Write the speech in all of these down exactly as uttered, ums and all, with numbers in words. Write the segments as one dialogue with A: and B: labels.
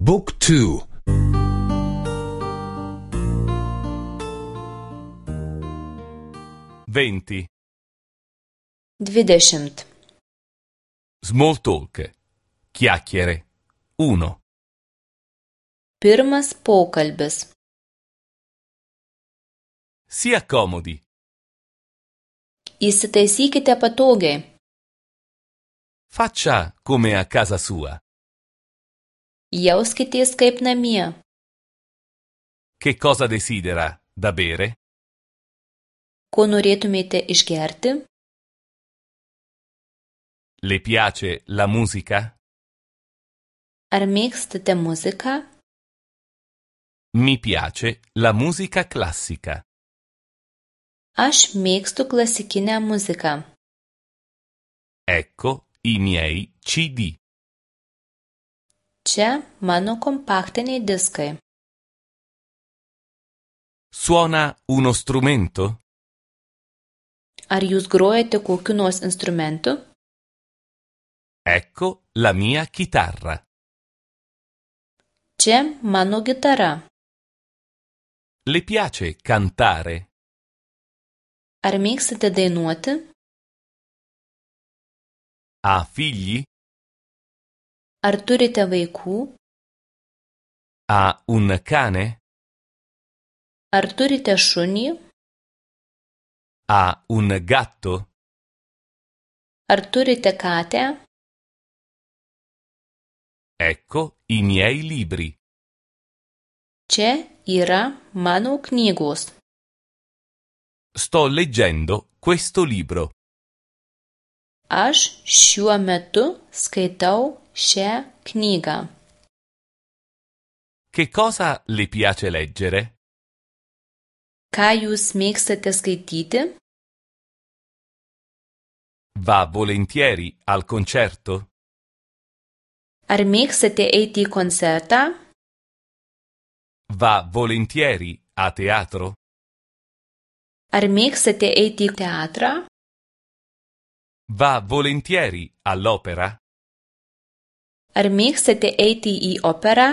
A: Book two.
B: venti.
C: Dvidešimt.
B: Small talk. Chiacchiere. uno.
C: Pirmas pokalbis.
B: Si accomodi.
C: Įsitaisykite patogiai.
B: Faccia come a casa sua.
C: Jauskitės kaip namie.
B: Che cosa desidera da bere?
C: Ko norėtumėte išgerti?
B: Le piace la musica?
C: Ar mėgstate muziką?
B: Mi piace la musica classica.
C: Aš mėgstu klasikinę muziką.
B: Ecco i miei C D.
C: Čia mano kompaktiniai diskai.
B: Suona uno strumento?
C: Ar jūs grojate kokiu nors instrumentu?
B: Ecco la mia chitarra.
C: Čia mano gitara.
B: Le piace cantare?
C: Ar mėgstate dainuoti?
B: Ha figli?
C: Ar turite vaikų?
B: Ha un cane?
C: Ar turite šunį?
B: Ha un gatto?
C: Ar turite katę?
B: Ecco i miei libri.
C: Čia yra mano knygos.
B: Sto leggendo questo libro.
C: Aš šiuo metu skaitau šią knygą.
B: Che cosa le piace leggere?
C: Ką jūs mėgstate skaityti?
B: Va volentieri al concerto?
C: Ar mėgstate eiti į koncertą?
B: Va volentieri a teatro?
C: Ar mėgstate eiti į teatrą?
B: Va volentieri all'opera?
C: Ar mėgstate eiti į operą?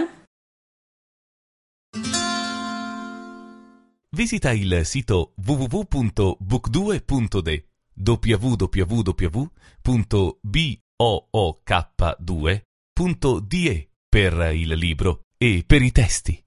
B: Visita il sito w w w punto book due punto d w w w punto book due punto d e per il libro e per i testi.